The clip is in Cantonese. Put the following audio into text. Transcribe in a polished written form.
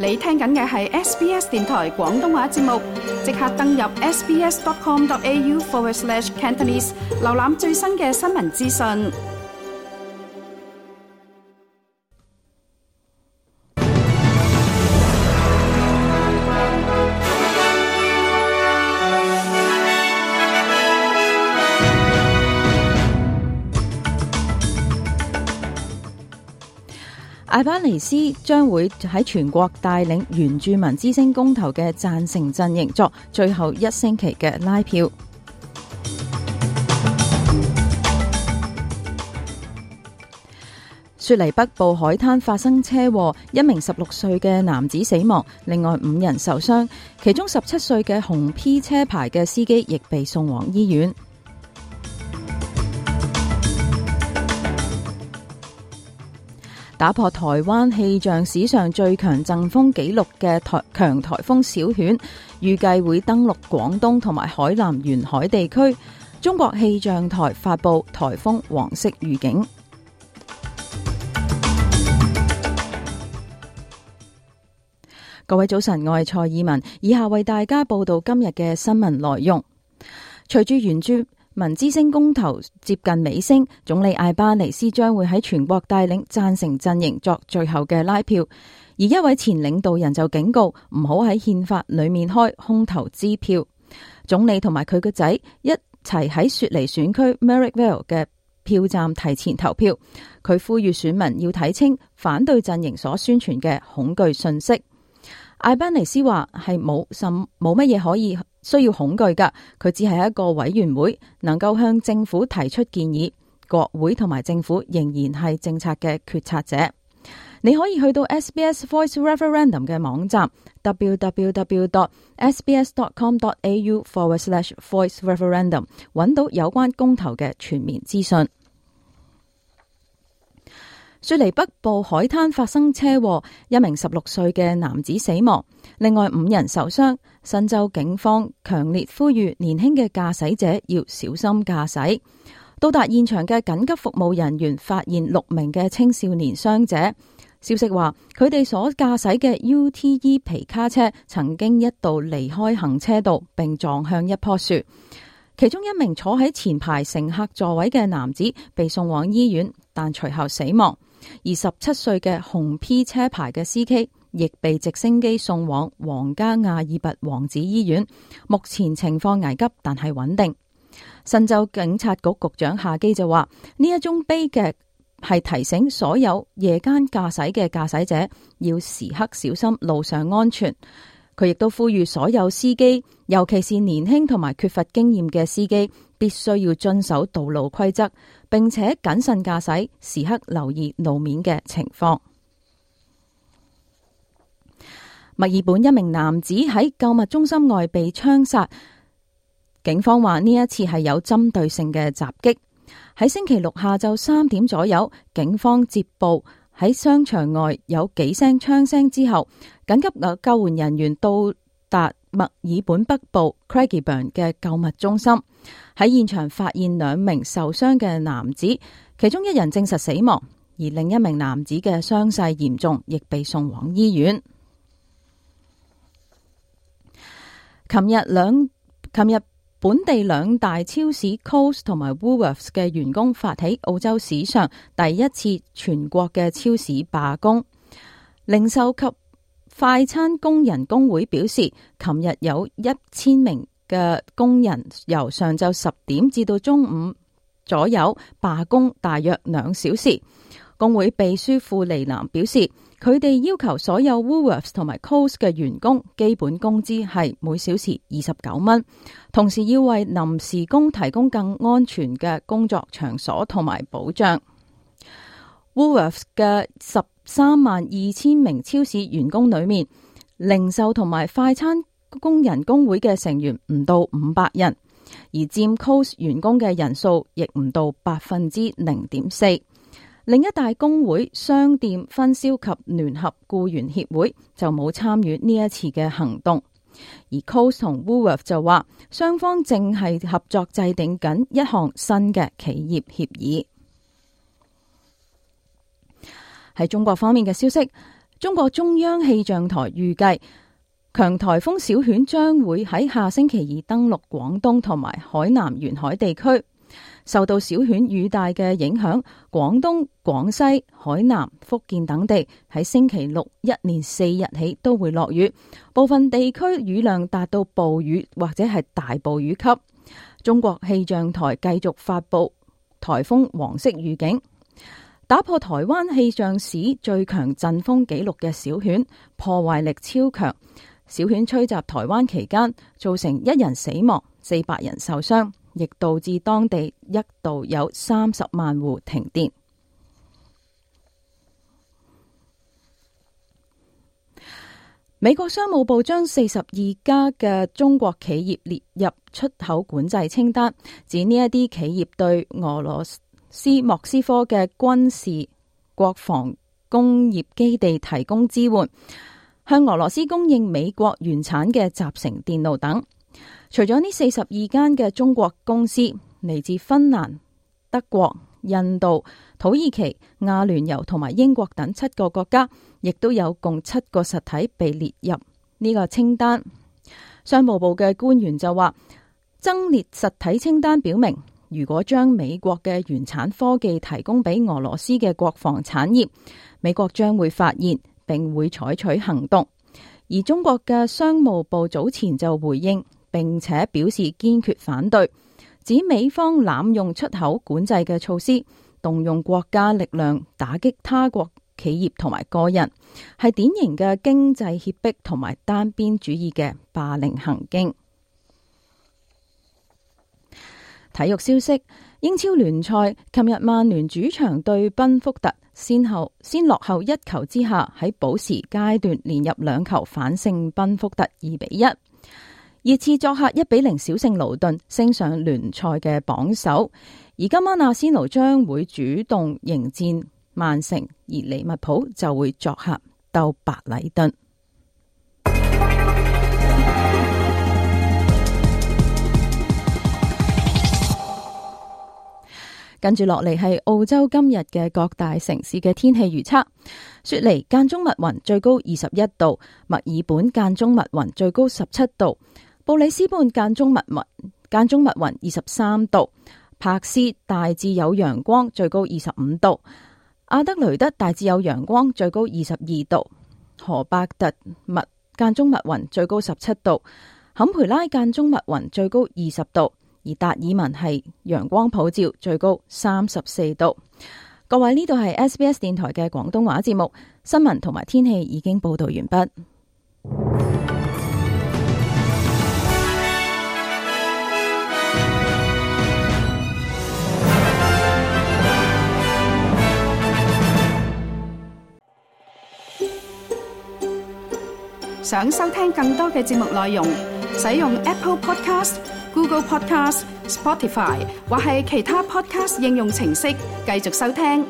你聽緊嘅係 SBS 電台廣東話節目，即刻登入 sbs.com.au/Cantonese 瀏覽最新嘅新聞資訊。艾巴尼斯將會喺全國帶領原住民之聲公投嘅贊成陣營作最後一星期嘅拉票。雪梨北部海灘發生車禍，一名16歲嘅男子死亡，另外5人受傷，其中17歲嘅紅 P 車牌嘅司機亦被送往醫院。打破台灣氣象史上最強陣風紀錄嘅強颱風小犬，預計會登陸廣東同埋海南沿海地區。中國氣象台發布颱風黃色預警。各位早晨，我係蔡以文，以下為大家報道今日嘅新聞內容。隨住原住民之聲公投接近尾聲，總理艾巴尼斯將會喺全國帶領贊成陣營作最後嘅拉票，而一位前領導人就警告唔好喺憲法裏面開空頭支票。總理同埋佢個仔一齊喺雪梨選區 Marrickville 嘅票站提前投票，佢呼籲選民要睇清反對陣營所宣傳嘅恐懼信息。艾巴尼斯話係冇乜嘢可以需要恐懼㗎，佢只係一個委員會，能夠向政府提出建議，國會同埋政府仍然係政策嘅決策者。你可以去到 SBS Voice Referendum 嘅網站 www.sbs.com.au/voice referendum 揾到有關公投嘅全面資訊。雪梨北部海灘發生車禍，一名16歲嘅男子死亡，另外5人受傷。新州警方強烈呼籲年輕嘅駕駛者要小心駕駛。到達現場嘅緊急服務人員發現6名嘅青少年傷者。消息話，佢哋所駕駛嘅 UTE 皮卡車曾經一度離開行車道並撞向一棵樹。其中一名坐喺前排乘客座位嘅男子被送往醫院，但隨後死亡。而17歲嘅紅 P 車牌嘅司機亦被直升機送往皇家亞爾拔王子醫院，目前情況危急，但係穩定。新州警察局局長夏基就話，呢一宗悲劇係提醒所有夜間駕駛嘅駕駛者要時刻小心路上安全。佢亦都呼籲所有司機，尤其是年輕同埋缺乏經驗嘅司機，必須要遵守道路規則，並且謹慎駕駛，時刻留意路面嘅情況。墨爾本一名男子喺購物中心外被槍殺，警方話呢一次係有針對性嘅襲擊。喺星期六下晝3點左右，警方接報喺商場外有幾聲槍聲之後，緊急救援人員到達墨爾本北部 Craigieburn 嘅購物中心，喺現場發現2名受傷嘅男子，其中1人證實死亡，而另一名男子嘅傷勢嚴重，亦被送往醫院。琴日本地2大超市 Coles 同埋 Woolworths 嘅員工發起澳洲史上第一次全國嘅超市罷工。零售及快餐工人工會表示，琴日有1000名嘅工人由上晝10點至到中午左右罷工大約2小時。工會秘書庫尼南表示，佢哋要求所有 Woolworths 同埋 Coles 嘅員工基本工資係每小時29蚊，同時要為臨時工提供更安全嘅工作場所同埋保障。Woolworths 嘅132000名超市員工裏面，零售同埋快餐工人工會嘅成員唔到500人，而佔 Coles 員工嘅人數亦唔到 0.4%。另一大工會商店分銷及聯合僱員協會就冇參與呢一次嘅行動，而 Coles 同 Woolworths 就話雙方正係合作制定緊一項新嘅企業協議。喺中國方面嘅消息，中國中央氣象台預計，強颱風小犬將會喺下星期二登陸廣東同埋海南沿海地區。受到小犬雨帶嘅影響，廣東、廣西、海南、福建等地喺星期六一連4日起都會落雨，部分地區雨量達到暴雨或者係大暴雨級。中國氣象台繼續發布颱風黃色預警。打破台灣氣象史最強陣風紀錄嘅小犬，破壞力超強。小犬吹襲台灣期間，造成1人死亡、400人受傷，亦導致當地一度有30萬戶停電。美國商務部將42家嘅中國企業列入出口管制清單，指呢一啲企業對俄羅斯莫斯科嘅軍事國防工業基地提供支援，向俄羅斯供應美國原產嘅集成電路等。除咗呢42間嘅中國公司，嚟自芬蘭、德國、印度、土耳其、阿聯酋同埋英國等7個國家，亦都有共7個實體被列入呢個清單。商務部嘅官員就話，增列實體清單表明，如果將美國嘅原產科技提供俾俄羅斯嘅國防產業，美國將會發現並會採取行動。而中國嘅商務部早前就回應並且表示堅決反對，指美方濫用出口管制嘅措施，動用國家力量打擊他國企業同埋個人，係典型嘅經濟脅迫同埋單邊主義嘅霸凌行徑。體育消息，英超聯賽，琴日曼聯主場對賓福特，先落後1球之下，喺補時階段連入2球反勝賓福特2-1。熱刺作客1-0小勝盧頓，升上聯賽嘅榜首。而今晚阿仙奴將會主動迎戰曼城，而利物浦就會作客鬥白禮頓。跟住落嚟係澳洲今日嘅各大城市嘅天氣預測：雪梨間中密雲，最高21度；墨爾本間中密雲，最高17度；布里斯本間中密雲23度；柏斯大致有陽光，最高25度；阿德雷德大致有陽光，最高22度；荷伯特間中密雲，最高17度；坎培拉間中密雲，最高20度。而達爾文係陽光普照，最高34度。各位，呢度係 SBS 電台嘅廣東話節目，新聞同埋天氣已經報道完畢。想收聽更多嘅節目內容，使用 Apple Podcast、Google Podcast、Spotify 或係其他 Podcast 應用程式繼續收聽。